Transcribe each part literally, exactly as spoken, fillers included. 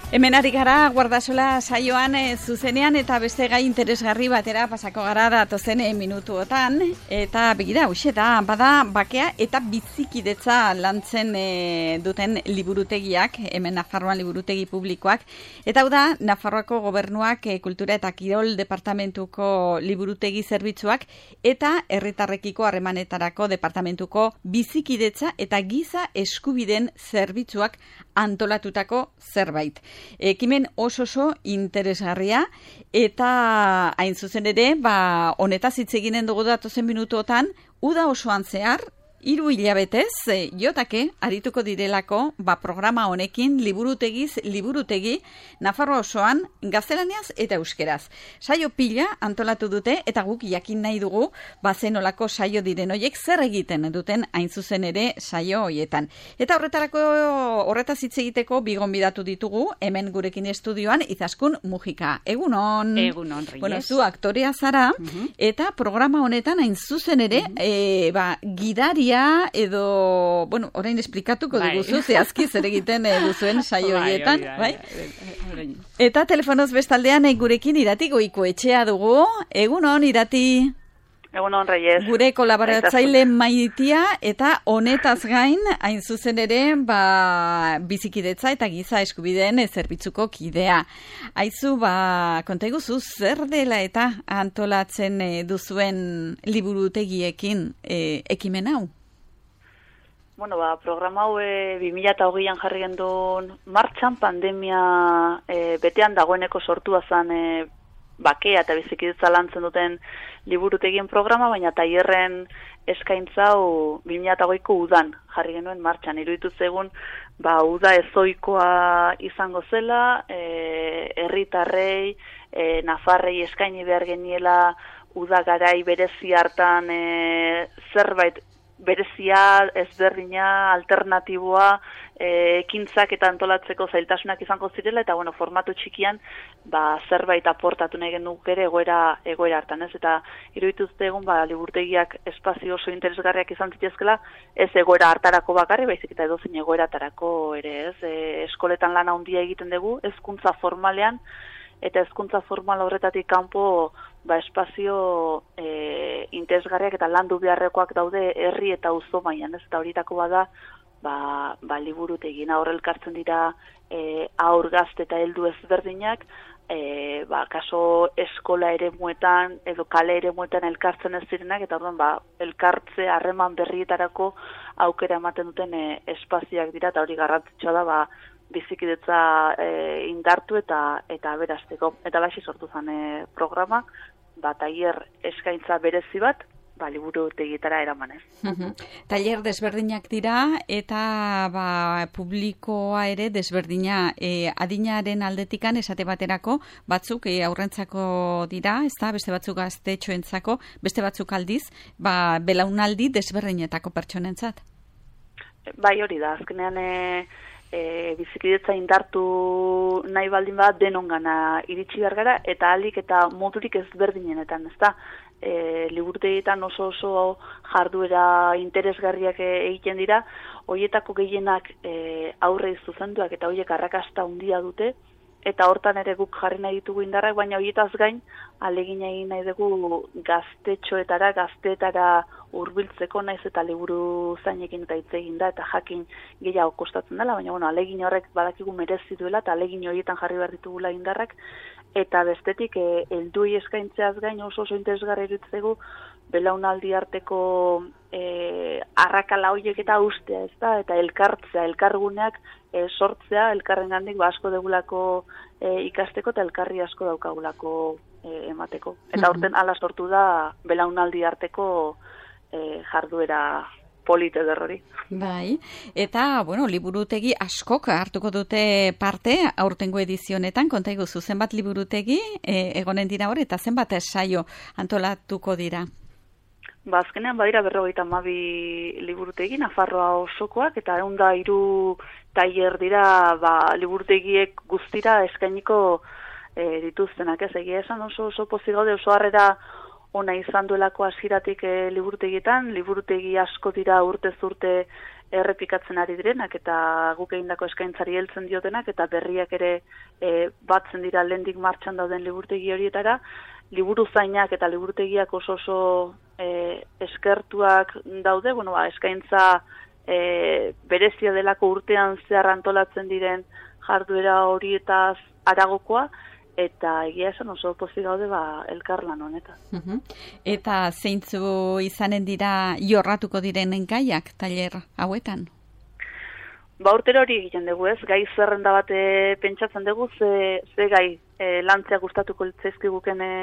Hemen ari gara Guardasola saioan e, zuzenean eta beste gai interesgarri batera pasako gara datozen e, minutuotan. Eta begira, hoxe da, bada bakea eta bizikidetza lantzen e, duten liburutegiak, hemen Nafarroan liburutegi publikoak. Eta hau da, Nafarroako gobernuak e, kultura eta kirol departamentuko liburutegi zerbitzuak eta herritarrekiko harremanetarako departamentuko bizikidetza eta giza eskubideen zerbitzuak antolatutako zerbait. Ekimen oso oso interesgarria eta hain zuzen ere, ba, honetaz hitz eginen dugu datozen minutuotan, uda osoan zehar, hiru hilabetez, e, jotake arituko direlako, ba, programa honekin liburutegiz, liburutegi, Nafarroa osoan, gaztelaniaz eta euskeraz. Saio pila antolatu dute eta guk jakin nahi dugu, ba, zenolako saio diren hoiek zer egiten duten hain zuzen ere saio hoietan. Eta horretarako horretaz hitz egiteko bi gonbidatu ditugu, hemen gurekin estudioan, Izaskun Mujika. Egunon. Egunon, Reyes. Bueno, zu aktorea zara, uh-huh. eta programa honetan hain zuzen ere, uh-huh. e, ba, gidari edo, bueno, orain esplikatuko bai. Duguzu, zehazki zer egiten e, duzuen saio horietan, bai, bai? bai? Eta telefonoz bestaldean e, gurekin Irati Goikoetxea dugu. Egunon, Irati. Egunon, Reyes. Gure kolaboratzaile Maitia eta honetaz gain, hain zuzen ere, ba, bizikidetza eta giza eskubideen e, zerbitzuko kidea. Aizu, ba, konta iguzu, zer dela eta antolatzen e, duzuen liburutegiekin e, ekimen hau? Bueno, ba, programa hau e, bi mila hogeian jarri gendun martxan, pandemia e, betean dagoeneko sortua zen e, bakea eta bizikidetza lantzen duten liburutegien programa, baina tailerren eskaintza hau bi mila hogeiko udan jarri genuen martxan. Iruditu zegun, ba, uda ezoikoa izango zela, e, herritarrei, e, Nafarrei eskaini behar geniela uda garai berezi hartan e, zerbait berezia, ezberdina, alternatiboa, e, ekintzak eta antolatzeko zailtasunak izango zirela, eta bueno, formatu txikian, ba, zerbait aportatu nahi genuk ere egoera, egoera hartan, ez? Eta irudituz egun, ba, liburtegiak espazio oso interesgarriak izan zitezkela, ez egoera hartarako bakarri, baizik eta edozein egoera hartarako ere, ez? E, eskoletan lana handia egiten dugu, hezkuntza formalean, eta hezkuntza formal horretatik kanpo, ba, espazio e, interesgarriak eta landu beharrekoak daude herri eta auzo mailan, ez? Eta horietako bada, ba, ba liburutegin aurre elkartzen dira e, aur gazte eta heldu ezberdinak, e, ba, kaso eskola eremuetan edo kale eremuetan elkartzen ez direnak, eta orduan, ba, elkartze harreman berrietarako aukera ematen duten e, espazioak dira, eta hori garrantzitsua da, ba, bizikidetza e, indartu eta eta aberasteko. Eta laxi sortu zen e, programa, ba, tailer eskaintza berezi bat, ba, liburutegietara eramanez. Uh-huh. Tailer desberdinak dira eta ba, publikoa ere desberdina, e, adinaren aldetikan esate baterako, batzuk e, aurrentzako dira, ezta, beste batzuk gaztetxoentzako, beste batzuk aldiz, ba, belaunaldi desberdinetako pertsonentzat. Bai, hori da, azkenean e, E, bizikidetza indartu nahi baldin bat denongana iritsi behar gara, eta alik eta modurik ezberdinenetan, ezta? E, liburutegietan oso oso jarduera interesgarriak egiten dira, hoietako gehienak e, aurrei zuzenduak eta hoiek arrakasta handia dute, eta hortan ere guk jarri nahi ditugu indarrak, baina horietaz gain, alegin egin nahi dugu gaztetxoetara, gazteetara hurbiltzeko, naiz eta liburu zainekin eta hitz egin da, eta jakin gehiago kostatzen dela, baina bueno, alegin horrek badakigu merezi duela, eta alegin horietan jarri behar ditugula indarrak, eta bestetik, e, helduei eskaintzeaz gain oso oso interesgarri iruditzegu, belaunaldi arteko e, arrakala horiek eta ustea, ez da, eta elkartzea, elkarguneak e, sortzea, elkarrengandik ba, asko degulako e, ikasteko eta elkarri asko daukagulako e, emateko. Eta horten ala sortu da belaunaldi arteko e, jarduera polite derrori. Bai, eta, bueno, liburutegi askok hartuko dute parte aurtengo edizionetan, konta iguzu, zenbat liburutegi e, egonen dira hor, eta zenbat saio antolatuko dira? Ba, azkenean badira berrogeita hamabi liburutegi, Nafarroa osokoak, eta ehun eta hiru tailer dira, ba, liburutegiek guztira eskainiko e, dituztenak, ez egia esan oso oso pozik gaude, oso harrera ona izan duelako hasieratik e, liburutegietan, liburutegi asko dira urtez urte errepikatzen ari direnak eta guk egindako eskaintzari heltzen diotenak eta berriak ere e, batzen dira lehendik martxan dauden liburutegi horietara, liburu zainak eta liburutegiak oso oso e, eskertuak daude, bueno, ba, eskaintza e, berezia delako urtean zehar antolatzen diren jarduera horietaz aragokoa, eta egia esan oso pozik gaude ba, elkarlan honetan. Uh-huh. Eta zeintzu izanen dira jorratuko diren gaiak tailer hauetan? Ba, urtero hori egiten dugu ez, gai zerrenda bat pentsatzen dugu, ze, ze gai e, lantzea gustatuko litzaizkiguken e,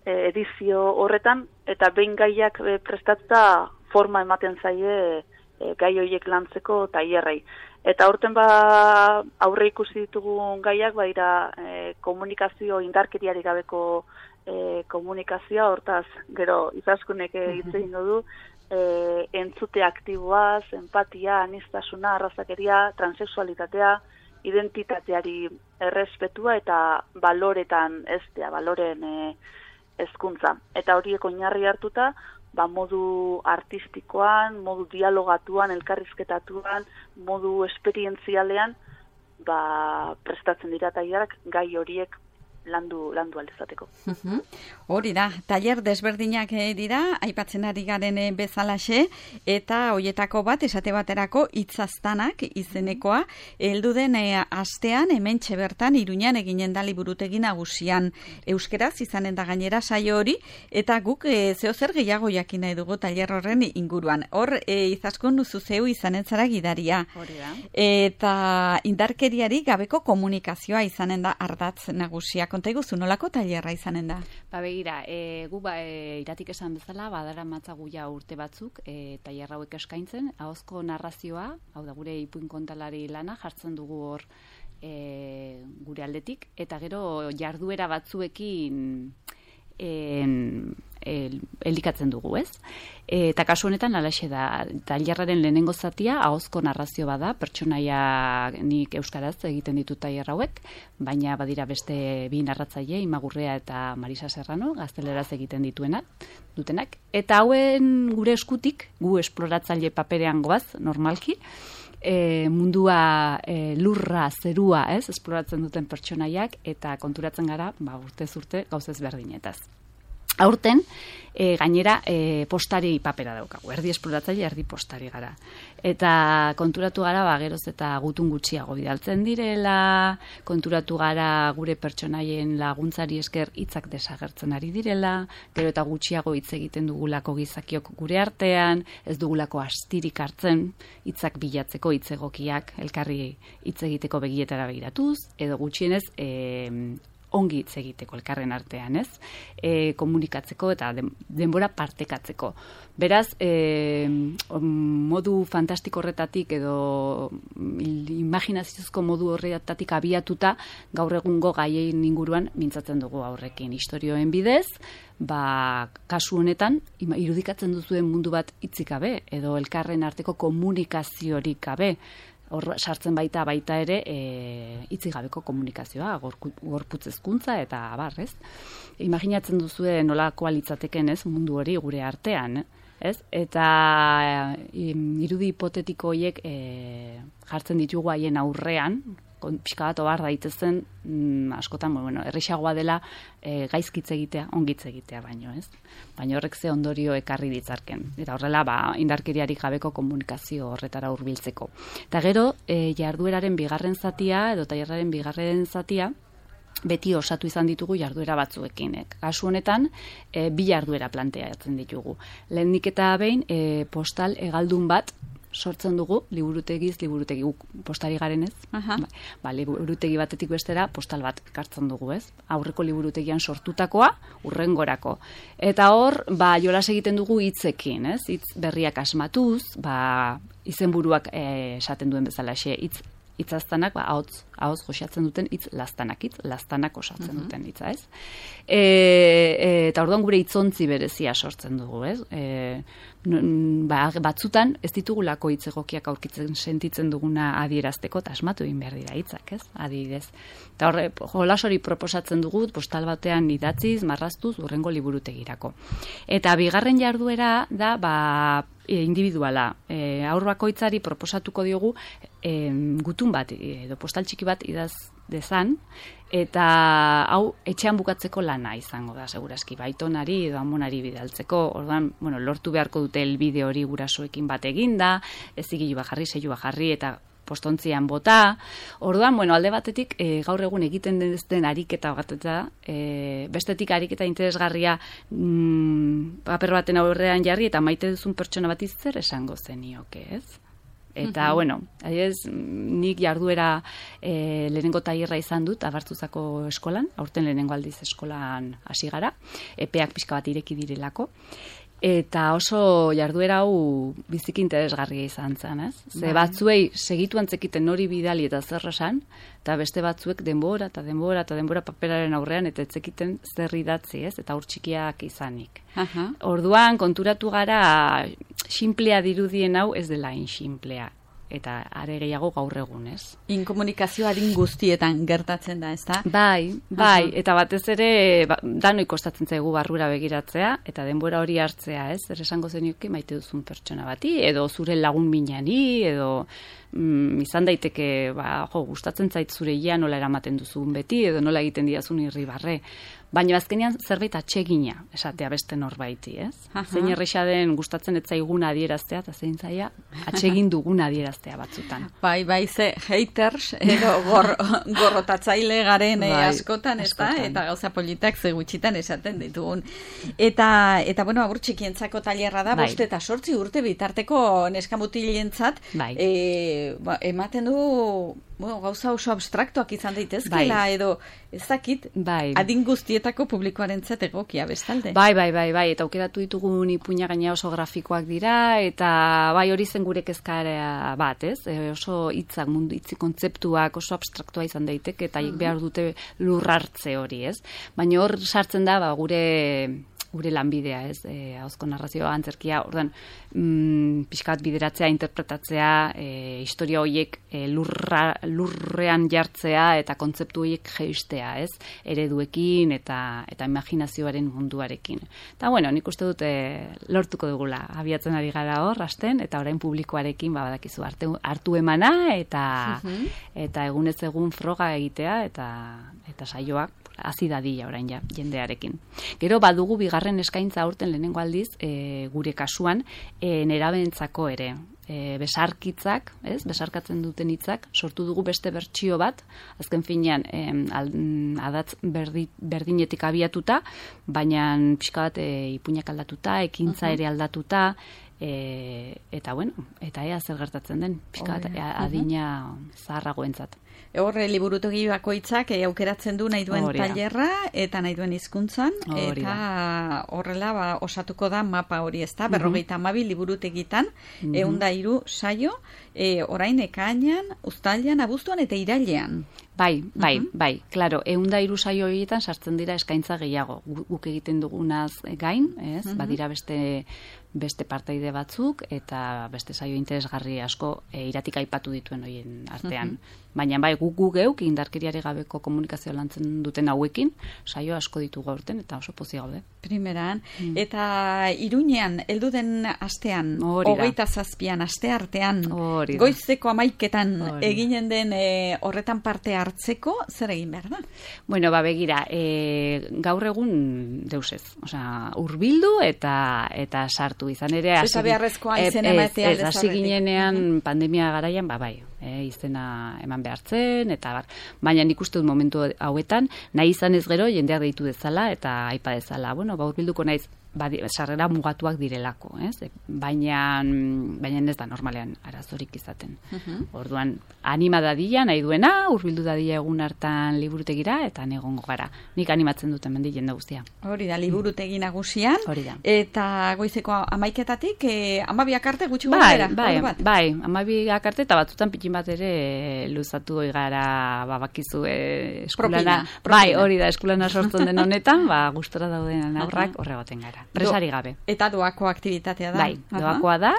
edizio horretan, eta behin gaiak e, prestatuta forma ematen zaie e, gai horiek lantzeko tailerrei. Eta aurten ba aurre ikusi ditugun gaiak baira e, komunikazio indarkeriarik gabeko e, komunikazioa, hortaz gero izaskunek hitz egingo du, e, entzute aktiboaz, empatia, aniztasuna, arrazakeria, transexualitatea, identitateari errespetua eta baloretan eztea, baloren e, hezkuntza. Eta horiek oinarri hartuta, ba, modu artistikoan, modu dialogatuan, elkarrizketatuan, modu esperientzialean, ba, prestatzen dira tailerak gai horiek landu landu aldezateko. Uh-huh. Hori da, tailer desberdinak dira, aipatzen ari garen bezalaxe, eta hoietako bat, esate baterako hitzaztanak izenekoa, heldu den e, astean, hementxe bertan, Iruñan eginen da liburutegi nagusian euskeraz, izanen da gainera saio hori, eta guk e, zeo zer gehiago jakin nahi dugu tailer horren inguruan. Hor, e, izaskun zuzeu izanen zara gidaria. Hori da. Eta indarkeriari gabeko komunikazioa izanen da ardatz nagusia. Konta iguzu, nolako tailerra izanen da? Ba begira, e, gu ba, e, iratik esan bezala, badara matzagu ja urte batzuk, e, tailer hauek eskaintzen, ahozko narrazioa, hau da gure ipuin kontalari lana, jartzen dugu hor e, gure aldetik, eta gero jarduera batzuekin en, el, elikatzen dugu, ez? E, eta kasu honetan alaxe da, tailerraren lehenengo zatia ahozko narrazio bada, pertsonaia nik euskaraz egiten ditut tailer hauek, baina badira beste bi narratzaile, Imagurrea eta Marisa Serrano, gazteleraz egiten dituenak, dutenak, eta hauen gure eskutik, gu esploratzaile paperean goaz, normalki, e, mundua e, lurra, zerua, ez, esploratzen duten pertsonaiak, eta konturatzen gara, ba, urtez urte, gauzez berdinetaz. Aurten, e, gainera, e, postari papera daukagu, erdi esploratzaile, erdi postari gara. Eta konturatu gara, ba, geroz eta gutun gutxiago bidaltzen direla, konturatu gara gure pertsonaien laguntzari esker hitzak desagertzen ari direla, gero eta gutxiago hitz egiten dugulako gizakiok gure artean, ez dugulako astirik hartzen, hitzak bilatzeko hitz egokiak, elkarri hitz egiteko begietara begiratuz, edo gutxienez, e, ongi hitz egiteko elkarren artean, ez? E, komunikatzeko eta denbora partekatzeko. Beraz, e, modu fantastiko horretatik edo imaginaziozko modu horretatik abiatuta gaur egungo gaien inguruan mintzatzen dugu aurrekin. Historioen bidez, ba, kasu honetan, irudikatzen duzuen mundu bat hitzik gabe edo elkarren arteko komunikaziorik gabe. Hor sartzen baita baita ere e, hitzik gabeko komunikazioa, gorputz hezkuntza eta abar, ez? Imaginatzen duzue nolakoa litzateken, ez, mundu hori gure artean, ez? Eta e, irudi hipotetiko horiek e, jartzen ditugu haien aurrean, pixka bat obar daitezen, mm, askotan, bueno, errexagoa dela e, gaizkitze egitea, ongitze egitea baino, ez? Baina horrek ze ondorio ekarri ditzarken. Eta horrela, ba, indarkeriarik gabeko komunikazio horretara hurbiltzeko. Eta gero, e, jardueraren bigarren zatia, edo tailerraren bigarren zatia, beti osatu izan ditugu jarduera batzuekin. Kasu honetan, e, bi jarduera planteatzen ditugu. Lehenik eta behin, e, postal hegaldun bat, sortzen dugu, liburutegiz, liburutegi guk postari garenez. Ba, ba, liburutegi batetik bestera postal bat kartzen dugu, ez? Aurreko liburutegian sortutakoa, urrengorako. Eta hor, ba, jolas egiten dugu hitzekin, ez? Hitz berriak asmatuz, ba, izenburuak eh, esaten duen bezala xe, hitz hitzaztanak, ba, ahotz, ahotz joxatzen duten hitz lastanak, hitz lastanak osatzen uh-huh. duten hitza, ez? E, e, eta orduan gure hitzontzi berezia sortzen dugu, ez? E, ba, batzutan ez ditugulako hitz egokiak aurkitzen sentitzen duguna adierazteko, eta asmatu egin behar dira hitzak, ez? Adibidez. Eta horre, jolas hori proposatzen dugu, postal batean idatziz, marraztuz, urrengo liburutegirako. Eta bigarren jarduera da, ba, individuala. E, aur bakoitzari proposatuko diogu e, gutun bat edo postal txiki bat idaz dezan, eta hau etxean bukatzeko lana izango da, segurazki, baitonari edo amonari bidaltzeko. Orduan, bueno, lortu beharko dute elbide hori gurasoekin bat eginda, ez zigilu bajarri, zeilu bajarri, eta postontzian bota. Orduan, bueno, alde batetik, e, gaur egun egiten den ariketa bat eta e, bestetik ariketa interesgarria mm, paper baten aurrean jarri eta maite duzun pertsona bat zer esango zenioke, ez? Eta, uh-huh. bueno, adibidez, nik jarduera e, lehenengo tailerra izan dut, Abartzuzako eskolan, aurten lehenengo aldiz eskolan hasi gara, epeak pixka bat ireki direlako, eta oso jarduera hau biziki interesgarria izan zen, ez? Ze batzuei segitu antzekiten hori bidali eta zer esan, eta beste batzuek denbora eta denbora eta denbora paperaren aurrean eta etzekiten zer idatzi, ez? Eta hor txikiak izanik. Uh-huh. Orduan, konturatu gara, xinplea dirudien hau ez dela inxinplea. Eta are gehiago gaur egun, ez? Inkomunikazioaren guztietan gertatzen da, ez da? Bai, bai, uh-huh. Eta batez ere ba, danoi kostatzen zaigu barrura begiratzea, eta denbora hori hartzea, ez? Zer esango zenioke maite duzun pertsona bati, edo zure lagun minani, edo mm, izan daiteke, ba, jo, gustatzen zait zure ia nola eramaten duzun beti, edo nola egiten diazun irribarre. Baina azkenean zerbait atsegina esatea beste norbaiti, ez? Aha. Zein erresa den gustatzen ez zaiguna adieraztea, eta zein zaia atsegin duguna adieraztea batzutan. Bai, bai, ze haters, edo gor, gorrotatzaile garen bai, askotan, ez da? Eta gauza politak ze gutxitan esaten ditugun. Eta, eta bueno, abur txikientzako tailerra da, bai. Bost eta sortzi urte bitarteko neskamutilentzat, bai. e, ba, ematen du bueno, gauza oso abstraktuak izan daitezkela, bai. Edo ez dakit, bai. Adin guztietako publikoarentzat egokia bestalde. Bai, bai, bai, bai, eta aukeratu ditugun ipuina gaina oso grafikoak dira, eta bai hori zen gure kezkarea bat, ez? E, oso hitzak, mundu hitzi kontzeptuak oso abstraktua izan daiteke, eta uh-huh. behar dute lurrartze hori, ez? Baina hor sartzen da, ba, gure gure lanbidea, ez, e, ahozko narrazioa, antzerkia, ordan, mm, pixkat bideratzea, interpretatzea, e, historia horiek e, lurra, lurrean jartzea eta kontzeptu horiek jeistea, ez, ereduekin eta eta imaginazioaren munduarekin. Eta, bueno, nik uste dut e, lortuko dugula, abiatzen ari gara hor, hasten, eta orain publikoarekin, ba, badakizu, hartu, hartu emana, eta, uh-huh. eta egunez egun froga egitea, eta, eta saioak, hasi dadila orain ja, jendearekin. Gero badugu bigarren eskaintza aurten lehenengo aldiz, e, gure kasuan, e, nerabentzako ere. E, besarkitzak, ez? Besarkatzen duten hitzak, sortu dugu beste bertsio bat, azken finean, e, al, adatz berdi, berdinetik abiatuta, baina pixka bat e, ipuinak aldatuta, ekintza ere aldatuta, e, eta bueno, eta ea zer gertatzen den, pixka bat adina zaharragoentzat. Horre liburutegi bakoitzak e, aukeratzen du nahi duen tailerra eta nahi duen hizkuntzan eta horrela ba, osatuko da mapa hori, ez da, berrogeita hamabi liburutegitan, mm-hmm. ehun eta hiru saio, e, orain ekainean, uztailean, abuztuan eta irailean. Bai, bai, uh-huh. bai, klaro, ehun eta hiru saio horietan sartzen dira eskaintza gehiago. Guk egiten dugunaz gain, ez? Uh-huh. Badira beste beste parteide batzuk eta beste saio interesgarri asko e, iratik aipatu dituen horien artean. Uh-huh. Baina bai, guk gu geuk indarkeriare gabeko komunikazio lantzen duten hauekin, saio asko ditugu aurten eta oso pozik gaude. Primeran, mm. eta Iruñean, heldu den astean, hogeita zazpian, aste artean, goizeko amaiketan eginen den e, horretan parte hartzeko, zer egin behar da? Bueno, ba, begira, e, gaur egun deusez, osea, urbildu eta eta sartu izan ere. Eta beharrezkoa izen ematea. Ez, hasi ginenean uh-huh. pandemia garaian, ba, bai, e, izena eman behartzen, eta bar. Baina nik uste dut momentu hauetan, nahi izan ez gero, jendeak deitu dezala, eta aipa dezala, bueno, ba, urbilduko naiz, badi, sarrera mugatuak direlako, ez? Baina, baina ez da normalean arazorik izaten. Uh-huh. Orduan, anima dadila, nahi duena, urbildu dadila egun hartan liburutegira, eta negongo gara. Nik animatzen dut hemen jende guztia. Hori da, liburutegi nagusian. Hori da. Eta goizeko amaiketatik, eh, amabiak arte gutxi bai, gara. Bai, bai, bai, amabiak arte, eta batzutan pitin bat ere luzatu gara, babakizu eskulana. Propina, propina. Bai, hori da, eskulana sortzen den honetan, ba, gustora dauden aurrak horregoten gara. presari gabe. Eta doako aktibitatea da. Bai, doakoa da,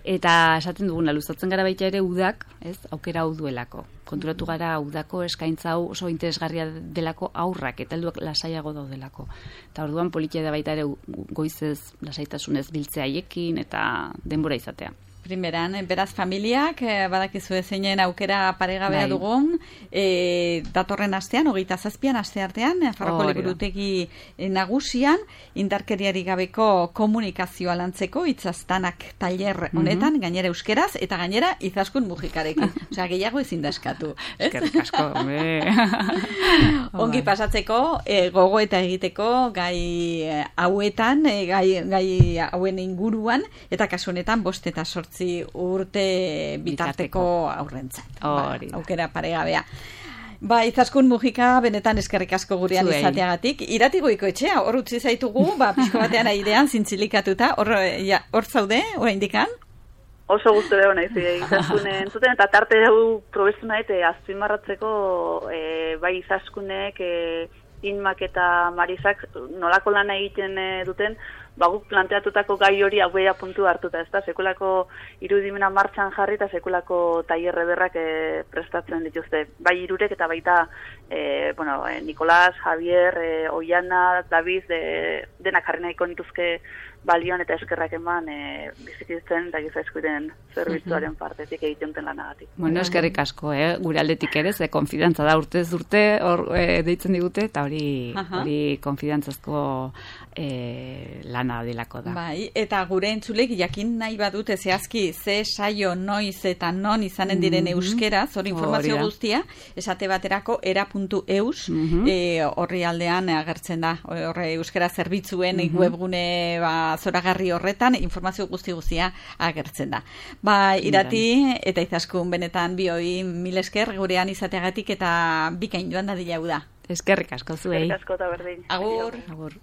eta esaten duguna, luzatzen gara baita ere udak, ez, aukera hau duelako. Konturatu gara udako eskaintza hau oso interesgarria delako aurrak, eta helduak lasaiago daudelako. Eta orduan politia da baita ere goizez lasaitasunez biltzea haiekin eta denbora izatea. Primeran, beraz familiak, eh, badakizu zeinen aukera paregabea bai. dugun, eh, datorren astean, hogeita zazpian aste artean, Nafarroko oh, liburutegi nagusian, indarkeriari gabeko komunikazioa lantzeko, itzaztanak tailer honetan, mm-hmm. gainera euskeraz, eta gainera izaskun mujikarekin. Osea, gehiago ezin da eskatu. Eskerrik asko, ongi pasatzeko, eh, gogo eta egiteko gai eh, hauetan, eh, gai, gai hauen inguruan, eta kasu honetan bost eta sortzi urte bitarteko aurrentzat. Hori. Ba, aukera paregabea. Ba, Izaskun Mujika, benetan eskerrik asko gurean Zuei. izateagatik. Iratigoiko etxea, hor utzi zaitugu, ba, pixko batean airean zintzilikatuta, hor, ja, hor zaude, oraindikan? Oso gustu dago naiz, Izaskun entzuten, eta tarte hau probestu nahi, azpimarratzeko, e, bai Izaskunek, e, Inmak eta Marisak nolako lana egiten e, duten, ba, guk planteatutako gai hori hauea puntu hartuta, ez da, sekulako irudimena martxan jarri eta sekulako tailerre berrak e, prestatzen dituzte. Bai irurek eta baita e, bueno, e, Nikolas, Javier, e, Oiana, David, de, denak jarri nahiko nituzke balioan eta eskerrak eman e, bizikitzen eta giza eskubideen zerbitzuaren partetik egiten duten lanagatik. Bueno, eskerrik asko, eh? Gure aldetik ere, ze konfidantza da urtez urte hor e, deitzen digute, eta hori, hori konfidantzazko e, lana delako da. Bai, eta gure entzulek jakin nahi badute zehazki ze saio noiz eta non izanen diren mm-hmm. euskeraz, hori informazio guztia, esate baterako era puntu eus, mm-hmm. e, horri aldean agertzen da, horre euskera zerbitzuen mm-hmm. webgune ba, zoragarri horretan, informazio guzti guztia agertzen da. Ba, Irati eta Izaskun benetan bioi mil esker gurean izateagatik eta bikain joan da dila da. Eskerrik asko zuei. Eskerrik asko eta berdin. Agur. Agur.